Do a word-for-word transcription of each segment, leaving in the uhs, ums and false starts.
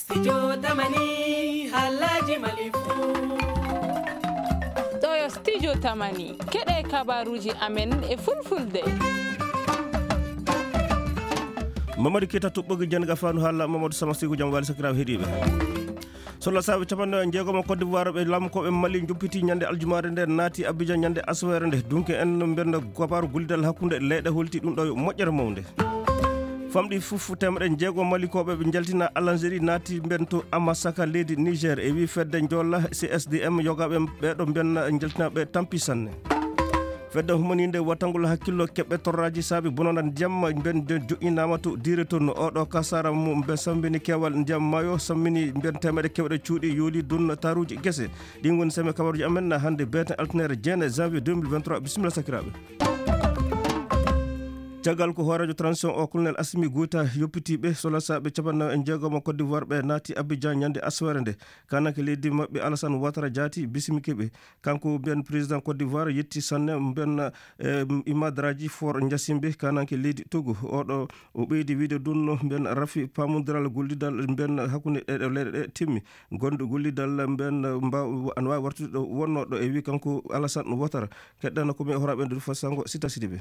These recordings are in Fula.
Studio Tamani, halaji Mali fu. Ɗo yo Studio Tamani, keɗe kabaruji amen e fulfulde. Mamadou Keita toɓɓogi jannga fannu haala Mamadou Sama Sigo jam wali sakiraaɓe heɗiiɓe. Sola saabe capanɗe jeegom Côte d'Ivoire ɓe lamkooɓe Mali juppiti ñande aljumaare nde naati Abidjan ñande aswere nde. Dunke en mbenna kabaru gullidal hakkunde leyɗe holti ɗum ɗo yo moƴƴere mawnde. Famɗi fof teemedde jeego Malikooɓe ɓe njaltina Algérie naati mben to Amasaka leydi Niger e wi fedde njolla C S D M yogaaɓe ɓeeɗo mben njaltinaɓe tampi sanne. Fedde humaninde wattangol hakkillo keɓɓe torraji saabi bononda ndiyam mben joƴƴinama to dire toon oɗo kasara mo mbe sambini kewal ndiyam maayo sammini mben teemedde kewɗe cuuɗi yooli dun taruji gese. Ɗin woni seme kabaruji amen na hannde beeten altinere jeene janvier deux mille vingt-trois. Bisimilla sakiraaɓe. Caggal ko hooreejo transition o, colonel Assimi Goïta, yoppitiiɓe solasaaɓe capannaw e jeegom Côte d'Ivoire ɓe naati Abidjan ñande aswere nde. Kananke leydi maɓɓe Alassane Ouattara jaati bisimike ɓe. Kanko mbiyen président Côte d'Ivoire yetti sanne mbiyen, eh, Imadraji Faure Gnassingbé, kananke leydi Togo. Oɗo o ɓeydi wiide ɗum no mbiyen rafi paamondiral gollidal mbiyen hakkunde ɗe ɗo leyɗe ɗe timmi. Gonɗo gollidal mbiyen mba-, ana waawi wartude ɗo wonnoo ɗo e wi kanko Alassane Ouattara. Keɗɗana ko mi horaaɓe nder fasango Sita Sidibé.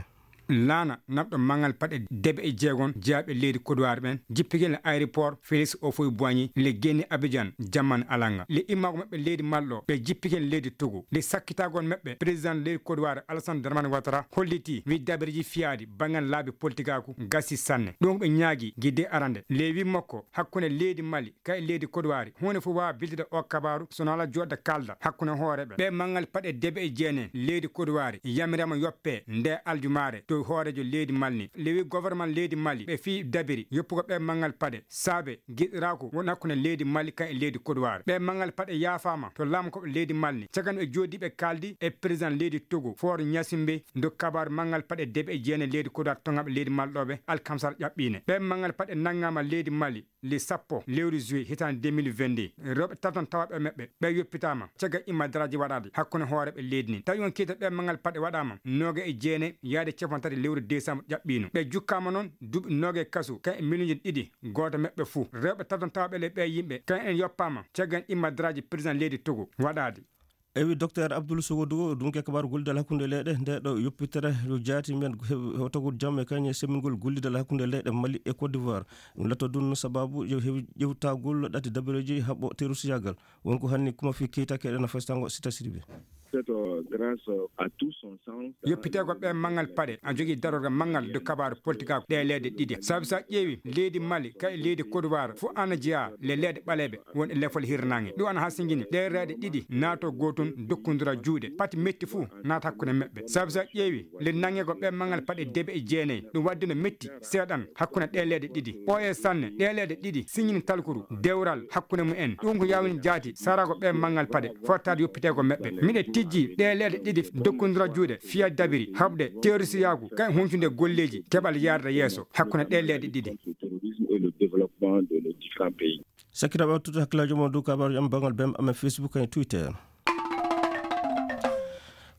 Laana naɓɗo mangal paɗe debe e jeegon jeyaaɓe leydi Kodowari ɓen, jippike le aéroport Félix Houphouët-Boigny, le geni Abidjan, jamman alanga. Le immaago maɓɓe leydi Mali ɗo, ɓe jippike leydi Togo. Le sakkitaagon maɓɓe, président leydi Kodowari, Alassane Dramane Ouattara, holliti wi dabiriji fiyaadi bangal laabi politikaaku gasi sanne. Ɗum ko ɓe ñaagi gidde arande. Le wi makko, hakkunde leydi Mali, kay leydi Kodowari, huunde fof waawa biltide o kabaaru, so nala jooɗda kaalda hakkunde hooreeɓe. Ɓe mangal paɗe debe e jeene leydi Kodowari, yamiraama yoppe nde aljumaare to hooreejo leydi Mali ni. Le wi gouvernement leydi Mali, ɓe fii dabiri yoppugo ɓe mangal paɗe, saabe giɗiraaku won hakkunde leydi Mali kan e leydi Kodowari. Ɓe mangal paɗe yaafaama to laamkooɓe leydi Mali ni. Cagan ɓe jooɗi ɓe kaaldi e président leydi Togo, Faure Gnassingbé, ndo kabaaru mangal paɗe debe e jeene leydi Kodowari toŋaɓe leydi Mali ɗo ɓe alkamsar ƴaɓɓiine. Ɓe mangal paɗe nanngaama leydi Mali le sappo lewru juillet hitaande deux mille vingt-deux. Rewɓe taton tawaaɓe e maɓɓe, ɓe yoppitaama caggal imma daraaji waɗaade hakkunde hooreeɓe leydi nin. Tawi on kiita ɓe mangal paɗe waɗaama nooga e jeene yaade cappanɗe tati lewru décembre ƴaɓɓiino. Ɓe jukkaama noon duuɓi nooga e kasu, kay e miliyoŋji ɗiɗi gooto maɓɓe fuu. Rewɓe taton tawaaɓe le ɓe yimɓe, kay en yoppaama caggal imma daraaji président leydi Togo waɗaade. Ewi Docteur Abdoul Sogodougou, ɗum ke kabaaru gollidal hakkunde leyɗe, nde ɗo yoppitere yo jaati men he-, hewtagol jam e kañe semmingol gollidal hakkunde leyɗe Mali e Côte d'Ivoire. Ɗum latto ɗum sababu yo heewi ƴewtagol ɗati dabareeji haɓɓo terroristiyagal. Won ko hanni kuma fi keytaake eɗen festango Sita Sidibé. C'est, euh, grâce à tout son sens. Yoppiteego ɓe mangal paɗe, a jogii darorga mangal de kabaaru politikaaku ɗe leyɗe ɗiɗi. Sabu so a ƴeewi leydi Mali, kay leydi Côte d'Ivoire, fof ana jeyaa le leyɗe ɓaleeɓe won e lefol hirnaange. Ɗum ana hasingini ɗe leyɗe ɗiɗi naato gootun dokkondira juuɗe. Pati metti fuu naata hakkunde maɓɓe. Sabu so a ƴeewi le nannge ko ɓe mangal paɗe debe e jeenayi. Ɗum wadde no metti seeɗan hakkunde ɗe leyɗe ɗiɗi. Ɓooye sanne, ɗe leyɗe ɗiɗi siñini talkuru dewral hakkunde mumen. Ɗum ko yawni jaati sarago ɓe mangal paɗe fottaade yoppiteego maɓɓe. Miɗe tijji ɗe leyɗe ɗiɗi dokkondira juuɗe fiya dabiri haɓde terrorisiyaagu kay huncude golleeji keɓal yaarde yeeso hakkunde ɗe leyɗe ɗiɗi. Le terrorisme et le développement de nos différents pays. Sakkitaaɓe wattude hakkillaaji mon dow kabaaruji am banngal bem amen Facebook e Twitter.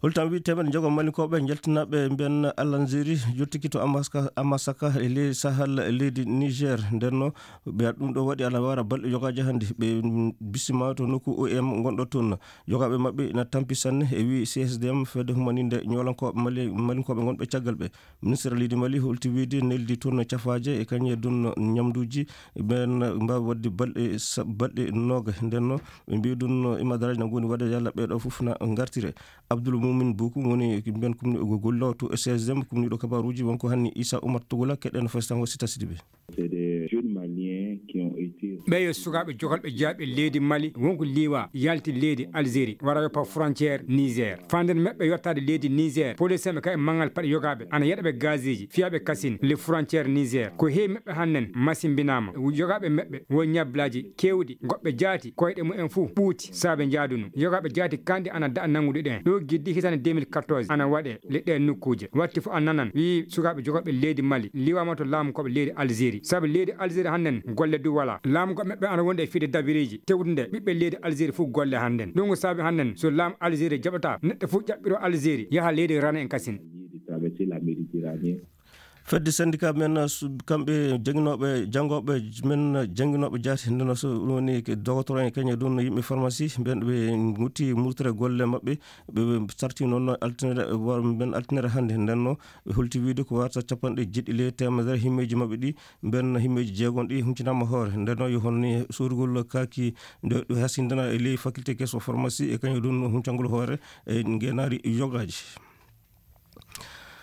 Holtan wi teemedde njogo Malinkooɓe njaltinaaɓe mbiyen Algérie yottiki to Amaska-, Amasaka e ley Sahel e leydi Niger. Nden no ɓe ɗum ɗo waɗi ana wara balɗe yogaaji hannde. Ɓe, mm, bisima to nokku O M ngonɗo toon. Yogaaɓe maɓɓe ina tampi sanne e wi C S D M fedde humaninde ñoolankooɓe Mali-, Malinkooɓe ngonɓe caggal ɓe. Ministre leydi Mali holti wiide neldi toon cafaaje e kañe ɗum ñamduuji ɓeen mbaawi waɗde balɗe sa-, balɗe nooga. Nden no ɓe mbiyi ɗum no imadaraaji na ngoni waɗde yalla ɓee ɗo fof na ngartire. Abdoul Moumin Boku woni mbiyen kumni-, go-, gollo to C S D M, kumniiɗo kabaaruuji wonko hanni Issa Oumar Togola keɗen festango Sita Sidibé. C'est des jeunes Maliens qui ont été... Ɓeyo sukaaɓe jogalɓe jaaɓe leydi Mali wonko liiwa yalti leydi Algérie wara yoppa frontière Niger. Fanden maɓɓe yottaade leydi Niger, police maɓɓe kay manngal paɗe yogaaɓe ana yeɗa ɓe gazeeji fiyaaɓe kasin le frontière Niger. Ko heewi maɓɓe hannen masimbinaama. Yogaaɓe maɓɓe won ñablaaji keewɗi, goɗɓe jaati koyɗe mumen fuu ɓuuti saabe njaadunu. Yogaaɓe jaati kandi ana daɗa nanngude ɗen. Ɗo giddi hitande deux mille quatorze ana waɗe le ɗe nokkuuje. Watti fof a nanan wi sukaaɓe jogalɓe leydi Mali liiwaama to laamu koɓe leydi Algérie. Sabu leydi Algérie hannden golle du wala. Laamu ko maɓɓe ana wonde e fide dabireeji tewtude ɓiɓɓe leydi Algérie fof golle hannden. Ɗum ko saabi hannden so laamu Algérie jaɓata neɗɗo fof ƴaɓɓiro Algérie yaha leydi Rana en kasin. Traverser la Méditerranée. Fedde syndicat men, su-, kamɓe jannginooɓe, janngooɓe men, jannginooɓe jaati, ndeno so ɗum woni ke dogotoro en, kañum e ɗum yimɓe pharmacie, ɓen ɓe ngutti murtere golle maɓɓe, ɓe, ɓe sarti noon no altine, wor-, mben altine hannde. Ndenno, ɓe holti wiide ko warata capanɗe jeeɗiɗi e teemedere himmeeji maɓɓe ɗi, mben himmeeji jeegom ɗi huncinaama hoore. Ndenno, yo honno soodugol kaaki nde, ɗo hasindana e ley faculté keso pharmacie e kañum e ɗum huncangol hoore e ngeenaari yogaaji.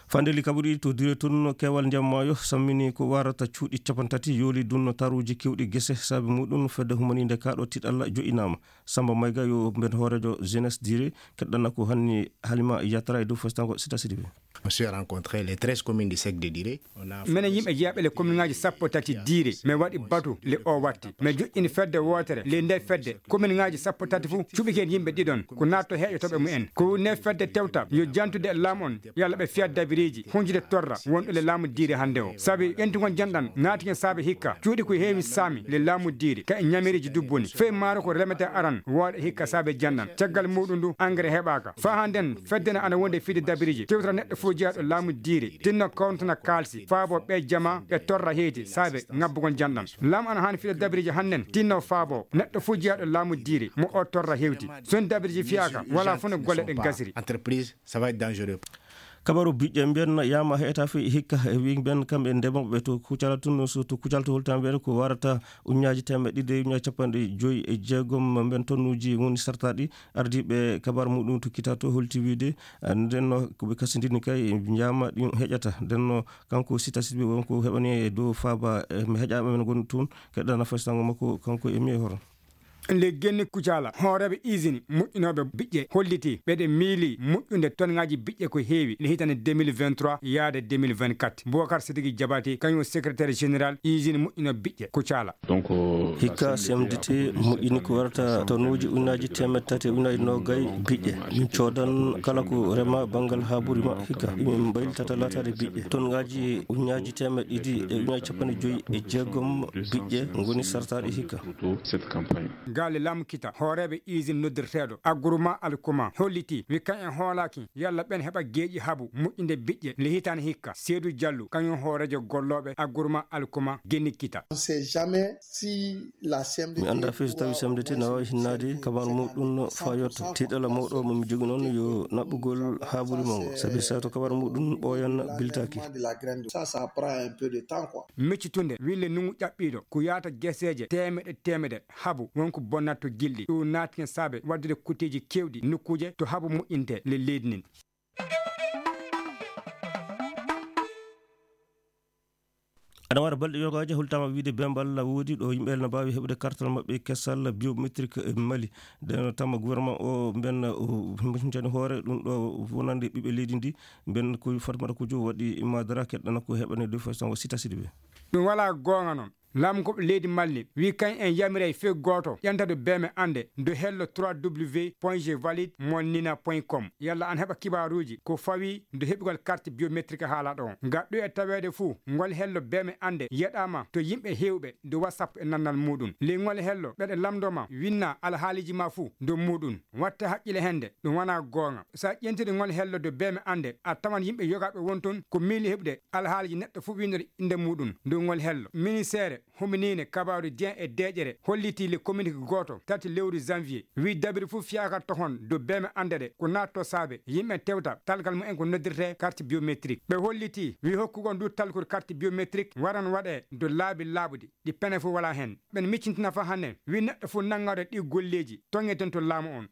Fandeli kaɓuɗi to Dire tun, keewal ndiyam maayo sammini ko warata cuuɗi capanɗe tati, yooli ɗum taruuji keewɗi gese. Saabe muɗum, fedde humaniinde kaaɗo tiiɗalla jo'inaama. Samba Mayga yo mben hooreejo Jeunesse Dire, keɗɗana ko hanni Halima Yatara e dow festango Sita Sidibe. On s'est rencontrés, les treize communes du sec de Dire. Menen yimɓe jeyaɓe le commune ngaji sappo tati Dire, mi waɗi batu le o watti. Mi joƴƴini fedde wootere. Le nde fedde, commune ngaji sappo tati fu cuɓi hen yimɓe ɗiɗon, ko natto heƴotoɓe mumen. Ko ne fedde tewta, yo jantude e laamu on, yalla ɓe fiya dabiriji, hunjude torra, wonɗo le laamu Dire hannde o. Sabi ƴentugol janɗan, naati hen saabe hikka, cuuɗi ko heewi saami, le laamu Dire, ka e ñamiriji dubbuni. Fey maaro ko remete aran, wooɗa hikka saabe janɗan. Caggal muɗum ndu, engrais heɓaaka. Fa hannden, fedde na ana wonde fide dabiriji, tewtata neɗɗo fof jeyaɗo laamu Dire, tinno kontona kaalsi, faabo ɓe jama, ɓe torra heyti, saabe ngabbugol janɗan. Laamu ana haani fide dabiriji hannden, tinno faabo, neɗɗo fof jeyaɗo laamu Dire, mo o torra hewti. So en dabiriji fiyaaka, wala fof no golle ɗen gasiri. Entreprise, ça va être dangereux. Kabaru biƴƴe mbiyen yaama heeta fi hikka e wi mbiyen kamɓe ndemoɓe to Kucala tun, so to Kucala to holta mbiyen ko warata uñaaji temeɗɗe ɗiɗi e uñaaji capanɗe joyi e jeegom mbiyen tonnuji woni sartaɗi. Ardiiɓe kabar muɗum to kita to holti wiide, ah, ndenno ko ɓe kasindini kay njaama ɗin heƴata. Ndenno kanko Sita Sidibé won ko heɓani e dow faaba, eh, mi heƴaɓe men gon tun, keɗɗana fastango makko kanko e mi e hoto. Le Genni Kucala, hooreeɓe usine moƴƴinooɓe biƴƴe holliti ɓeɗe miili moƴƴude tonngaaji biƴƴe ko heewi le hitande deux mille vingt-trois yaade deux mille vingt-quatre. Boubacar Sidiki Jabati, kañum secrétaire général usine moƴƴinooɓe biƴƴe Kucala. Hikka C M D T moƴƴini ko warata tonnuuji ujunnaaji teemedde tati e ujunnaaji noogay biƴƴe. Min coodan kala ko rema banngal haa ɓuri ma hikka. Min mbaylitata laataade biƴƴe. Tonngaaji ujunnaaji teemedde ɗiɗi e ujunnaaji capanɗe joyi e jeegom biƴƴe ngoni sartaaɗe hikka. Galle laamu kita, hooreeɓe usine noddirteeɗo Agruma Alkuma holliti, wi kañum en hoolaaki yalla ɓen heɓa geeƴi habu moƴƴinde biƴƴe le hitaande hikka. Seedu Jallu, kañum hooreejo gollooɓe Agruma Alkuma Genni kita. On sait jamais si la C M D T. Mi anndaa fii so tawii C M D T na waawi hinnaade kabaru muɗum faa yotto. Tiiɗalla mawɗo mo mi jogii noon yo naɓɓugol haa ɓuri mawgo, sabi so tawii kabaru muɗum ɓooyan biltaaki. Ça, ça prend un peu de temps, quoi. Miccitunde wille nungu ƴaɓɓiiɗo ko yaata geseeje teemedde teemedde habu won ko bonnata to gilɗi. Ɗum naati hen saabe waɗdude kutteeji keewɗi nokkuuje to habu moƴƴinte le leydi ndin. Aɗa wara balɗe yogaaji, hultaama wiide bembal woodi ɗo yimɓe no mbaawi heɓude kartal maɓɓe kesal biométrique e Mali. Nden tama gouvernement o mben o humpitani hoore ɗum ɗo wonande ɓiɓɓe leydi ndi. Mben ko Fatmata Kujo waɗi Madara keɗɗana ko heɓani de façon o Sita Sidibé. Ɗum wala goonga noon. Laamu ko leydi Mali wi kañ en yamiray fii gooto ƴantade beeme annde do hello trois W point je valide mon nina point com. Yalla an heɓa kibaaruuji ko fawi do heɓugol carte biométrique haalaɗo on. Nga ɗo e taweede fuu, ngol hello beeme annde yeɗaama to yimɓe heewɓe do WhatsApp e nannal muɗum. Ley ngol hello ɓeɗe lamndoma winna alhaaliji ma fuu do muɗum. Watte haqqile hende, ɗum wona goonga. Sa ƴentiri ngol hello do beeme annde, a tawan yimɓe yogaaɓe won ton ko miili heɓude alhaaliji neɗɗo fuu winndori innde muɗum. Ndu ngol hello, ministeere huminiinde kabaaru diyan e deeƴere hollitii le communiqué gooto tati lewru janvier, wi dabiri fuu fiyaaka tohon dow beeme annde ɗe ko naatto saabe yimɓe tewta talgal mumen ko noddirtee carte biométrique. Ɓe hollitii wi hokkugol ndu talkuru carte biométrique waran waɗee dow laabi laaɓuɗi, ɗi pene fuu walaa heen. Ɓen miccintina fa hanne wi neɗɗo fuu nanngaɗo ɗi golleeji toŋeten to laamu on.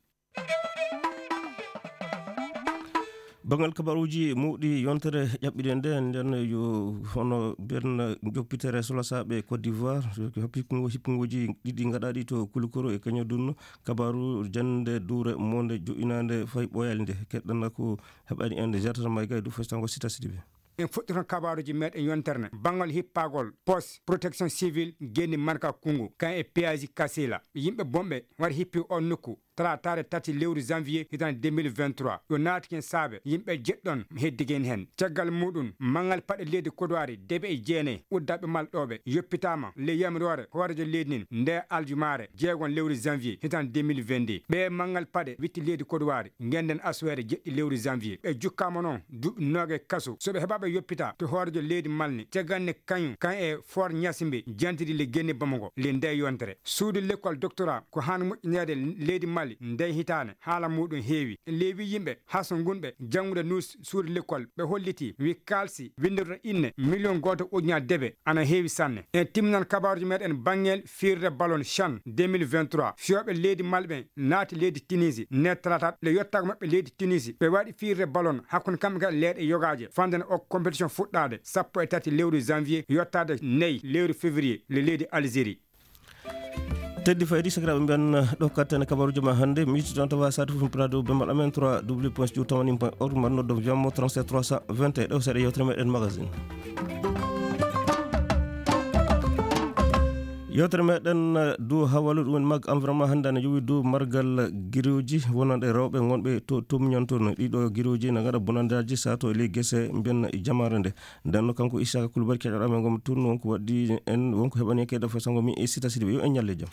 Banngal kabaruuji mawɗi yontere ƴaɓɓiɗen nde, nden yo hono mbiyen joppitere solasaaɓe Côte d'Ivoire, hippikungo-, hippungoji ɗiɗi gaɗaaɗi to Kulukoro e Kañadun, kabaru jannde duure monde jo'inaande fay ɓooyali nde. Keɗɗana ko heɓani en nde jartata may gay du festango Sita Sidibe. En fuɗɗoto kabaaruuji meɗen yontere nde. Banngal hippagol, poste, protection civile, genni Marka Kungu, kan e péage Kasila. Yimɓe bonɓe wari hippi on nokku. talaataare tati lewru janvier hitaande deux mille vingt-trois. Ɗo naati ken saabe yimɓe jeɗɗon heddigen heen. Caggal muuɗum, manngal paɗe leydi Kodowari debe e jeenayi uddaaɓe malɗooɓe yoppitaama ley yamiroore hooreejo leydi ndin nde aljumaare jeegon lewru janvier hitaande deux mille vingt-deux. Ɓee manngal paɗe witti leydi Kodowari ngennden asuweere jeɗɗi lewru janvier. Ɓe jukkaama noon duuɓi noogay kaso. So ɓe heɓaɓe yoppita to hooreejo leydi Mali, caggal nde kañum, kañum e Fort Gnassingbé jantidi le genne Bamako le nde yontere. Suudu lekkol doctorat ko haan moƴƴineede leydi Mali nde hitaande. Haala muuɗum heewi. Leewi yimɓe haso ngunɓe janngude nus suudu lekkol ɓe holliti wi kaalsi winndorɗo inne miliyon gooto ujunnaaje debe ana heewi sanne. En timminan kabaaruuji meɗen banngel fiirde ballon chan deux mille vingt-trois. Fiyooɓe leydi Mali ɓen naati leydi Tunisie nde talaata le yottago maɓɓe leydi Tunisie. Ɓe waɗi fiirde ballon hakkunde kamɓe kala leyɗe yogaaje. Fande no o compétition fuɗɗaade sappo e tati lewru janvier yottaade nayi lewru février le leydi Algérie. Teddi faydi sakiraaɓe mbiyan ɗo katten kabaruuji ma hannde. Mi yittitan tawa sati fof mi pira dow bemmal amen trois w point studio tamanin point org mbaɗa noddo wiyammo trente-sept trois cent vingt et un. Ɗo seeɗa yewtere meɗen magazine. Yewtere meɗen, eh, dow hawalu ɗum en mag environnement hannde ana yowi dow margal giroji wonande rewɓe ngonɓe to Tomiñan toon. Ɗiɗo giroji na ngaɗa bonandaji sato e ley gese mbiyan jamaare nde. Nden no kanko Isaka Kulubali keɗoɗa men gom toon wonko waɗdi en wonko heɓani kede fo sango mi e sita sidi ɓe yo en ñalle jam.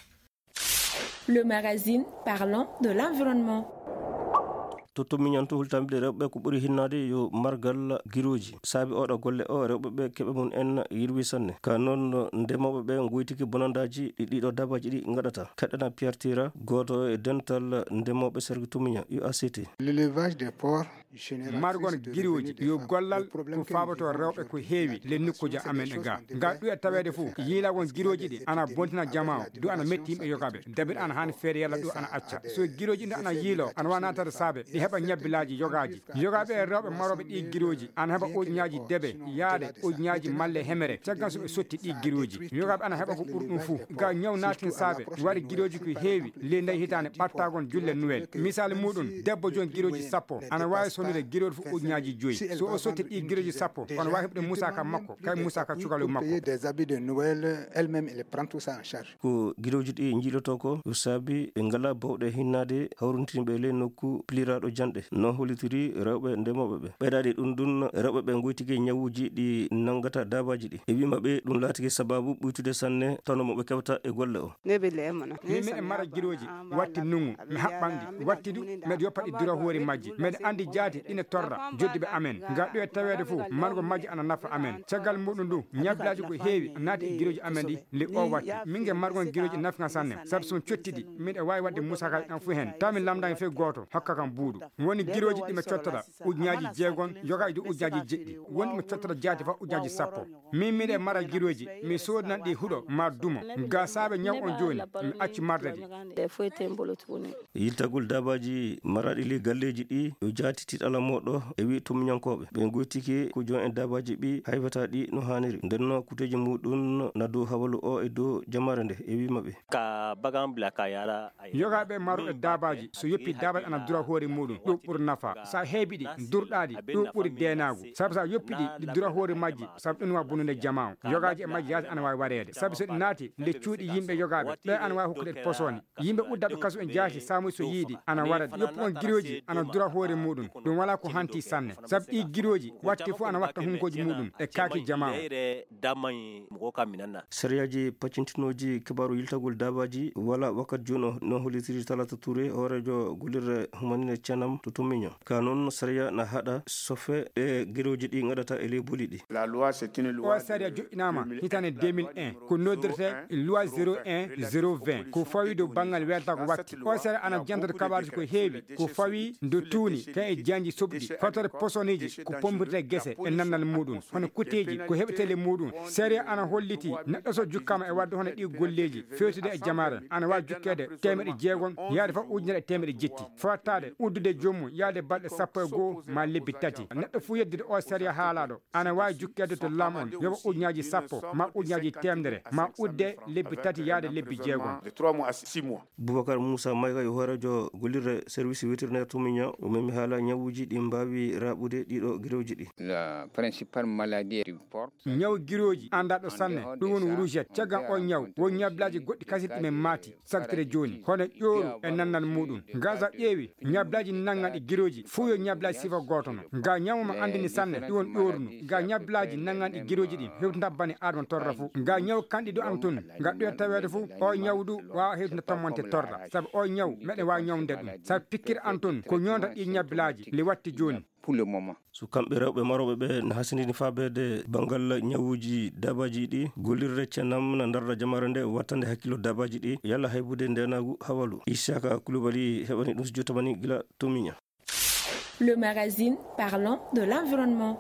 Le magazine parlant de l'environnement. To Tomiñan to hultamɓe rewɓe ko ɓuri hinnaade yo margal giroji. Saabi oɗo golle o rewɓe ɓe keɓe mum en yirwi sanne. Ka noon ndemooɓe ɓe ngoytiki bonandaji ɗi ɗiɗo dabaji ɗi ngaɗata. Kaɗana Pierre Tira, gooto e dental ndemooɓe Serge Tomiñan, U A C T. L'élevage des porcs. Margol girooji yo gollal ko faaboto rewɓe ko heewi le nokkuuji amen e ga. Ga ɗu e taweede fof yiilagol girooji ɗi ana bontina jamaa o du ana metti yimɓe yogaaɓe. Dabir ana haani feere yalla ɗu ana acca. So girooji ɗi ana yiilo ana waawi naatade saabe ɗi heɓa ñabbilaaji yogaaji. Yogaaɓe e rewɓe marooɓe ɗi girooji ana heɓa ujunnaaji debe yaade ujunnaaji malle hemere. Caggal so ɓe sotti ɗi girooji yogaaɓe ana heɓa ko ɓuri ɗum fof. Ga ñaw naatin saabe waɗi girooji ko heewi ley nde hitaande ɓattagol julle Noël. Misaali muuɗum, debbo joom girooji sappo ana waawi sonnude girooɗo fof ujunnaaji joyi. So o sotti ɗi girooji sappo, kono waawi heɓde musaaka makko, kay musaaka cukalel makko. Des habits de Noël, elle-même, elle prend tout ça en charge. Ko girooji ɗi njiiloto ko, ko saabi ɓe ngalaa bawɗe hinnaade hawrintinɓe ley nokku piliraaɗo janɗe. No hollitiri rewɓe ndemooɓe ɓe. Ɓeydaade ɗum ɗum, rewɓe ɓe ngoytike ñawuuji ɗi nanngata daabaaji ɗi. E wii maɓɓe, ɗum laatike sabaabu ɓuytude sanne tawno mo ɓe keɓata e golle o. Min miɗen mara girooji watti nungu, mi haɓɓan ɗi, watti du, miɗa yoppa ɗi dura hoore majji. Miɗa anndi jaati ine torra jodduɓe amen. Ga ɗo e taweede fof, margo majji ana nafa amen. Caggal muɗum du, ñabbilaaji ko heewi naati e girooji amen ɗi, le o watti. Min nge margon girooji nafga sanne, sabu so on cotti ɗi, miɗa waawi waɗde musakaaji ɗan fof heen. Taw mi lamdaani fof gooto, hokka kam buuɗu. Woni girooji ɗi mi cottata, ujunnaaji jeegom, yoga e du ujunnaaji jeɗɗi. Woni mi cottata jaati fof ujunnaaji sappo. Min miɗe mara girooji, mi soodanan ɗi huɗo ma dumo. Ga saabe ñaw on jooni, mi acci marde ɗi. Yiltagol daabaaji maraaɗi ley galleeji ɗi, yo jaati tiiɗala mooɗo e wi tumñankooɓe. Ɓe ngoytiki ko joom en daabaaji ɓi hayfata ɗi no haaniri. Nden no kuteeji muɗum na dow hawalu o e dow jamaare nde e wi maɓɓe. Ka bagan bila ka yara. Yogaaɓe marooɓe daabaaji, so yoppi daabaaji ana dura hoore muɗum, ɗum ɓuri nafa. So a heebi ɗi, durɗaa ɗi, ɗum ɓuri deenaagu. Sabu so a yoppi ɗi, ɗi dura hoore majji, sabu ɗum wa bonude jamaa o. Yogaaji e majji yaasi ana waawi wareede. Sabu so ɗi naati nde cuuɗi yimɓe yogaaɓe, ɓe ana waawi hokkude ɗi posooni. Yimɓe uddaaɓe kaso en jaasi saamuy so yiiɗi ana wara ɗi. Yoppu on girooji ana dura hoore muɗum. Ɗum walaa ko hanti sanne. Sabu ɗi girooji watti fof ana watta hunkooji muɗum e kaaki jamaa o. Damay mo ko kam mi nanna. Sariyaaji paccintinooji kibaaru yiltagol daabaaji wala wakkati jooni o, no hollitiri Talata Touré, hooreejo gollirde humanine Canam to Tummiño. Ka noon, sariya na haɗa sofe ɗe girooji ɗi ngaɗata e ley boli ɗi. La loi, c'est une loi. O sariya joƴƴinaama hitaande deux mille un, ko noddirtee loi zéro un, zéro vingt, ko fawi dow banngal weltago watti. O sariya ana jantata kabaaruuji ko heewi, ko fawi ndo tuuni, kan e janji soɓɗi, fatore posoniiji, ko pompirtee gese e nannal muɗum. Hono kuteeji ko heɓetee ley muɗum. Sariya ana holliti neɗɗo so jukkaama e waɗde hono ɗi golleeji feewtude e jamaare, ana waawi jukkeede teemeɗɗe jeegom yaade fof ujunere e teemeɗɗe jetti. Fawattaade uddude Joomum yaade balɗe sappo e goo ma lebbi tati. Neɗɗo fuu yeddude oo sariya haalaaɗo ana waawi jukkeede to laamɗo on, yoɓa ujunaaji sappo ma ujunaaji teemedere ma udde lebbi tati yaade lebbi jeegom. Boubacar Moussa Maïga yo hooreejo gollirde service vétérinaire to Miña, o memi haala ñawuuji ɗi mbaawi raaɓude ɗiɗo girooji ɗi. Ñaw girooji anndaa ɗo sanne, ɗum woni rouget. Caggal oo ñaw won ñablaaji goɗɗi kasirɗi men maati. Sagtire jooni hono ƴooru e nannal muuɗum. Gaza ƴeewi ñablaaji nannganɗi girooji fuu yo ñablaaji sifa gooto no. Nga ñaw mo anndini sanne ɗum won ƴooru no. Nga ñablaaji nannganɗi girooji ɗin hewtinta bani aadama torra fuu. Nga ñaw kanɗi ɗo an tun nga ɗoya taweede fuu. O ñaw du waawa hewtinta tommante torra sabu o ñaw meɗen waawa ñawnde ɗum sabu pikkir an tun ko ñoonta ɗi ñablaaji li watti jooni. So kamɓe rewɓe marooɓe ɓe na hasindini faabeede banngal ñawuuji daabaaji ɗi, gollirde cennam na ndarda jamaare nde wattande hakkillo daabaaji ɗi yalla haybude ndeenaagu hawalu. Isaka Kulubali heɓani ɗum so jotamani gila to Miña. Le magazine parlant de l'environnement.